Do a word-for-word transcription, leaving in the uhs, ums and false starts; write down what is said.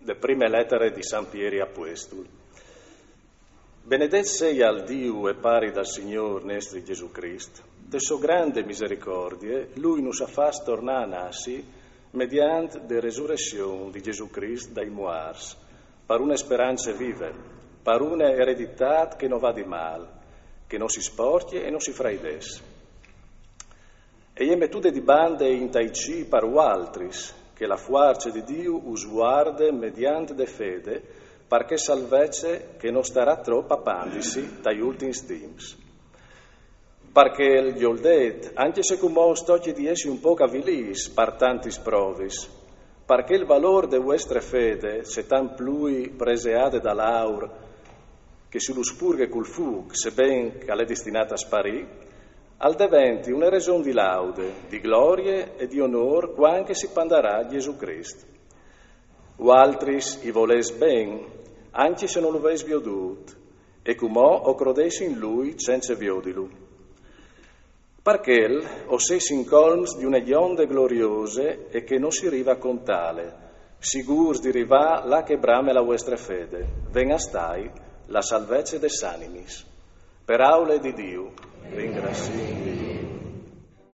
De prime letare di San Pieri Apuestul. Benedet seial Diu e Pari dal Signôr nestri Jesù Crist. De sô grande misericordie, lui nus à fats tornâ a nassi mediant de resurression di Jesù Crist dai muarts, par une sperance vive, par une ereditât che no vadi mâl, che no si sporcje e no si fraidès. E je metude di bande intai cîl par vualtris, che la fuarce di Diu us vuarde mediant de fede, par chê salvezze che no starà trop a pandisi tai ultins timps. Par chel, jo 'lt dîs, ancje se cumò us tocje di jessi un pôc avilîts par tantis provis, par che il valôr de vuestre fede, cetant plui preseade dal aur, che si lu spurghe cul fûc, seben che al è destinât a sparî, al deventi une reson di laude, di glorie e di onôr cuant che si pandarà Jesù Crist. Vualtris i volês ben, ancje se no lu vês viodût, e cumò o crodês in lui cence viodilu. Par chel o sês incolms di une gjonde gloriose e che no si rive a contâle, sigûrs di rivâ là che brame la vuestre fede, ven a stâi la salvezze des animis. Peraule di Diu. Ringraziìn.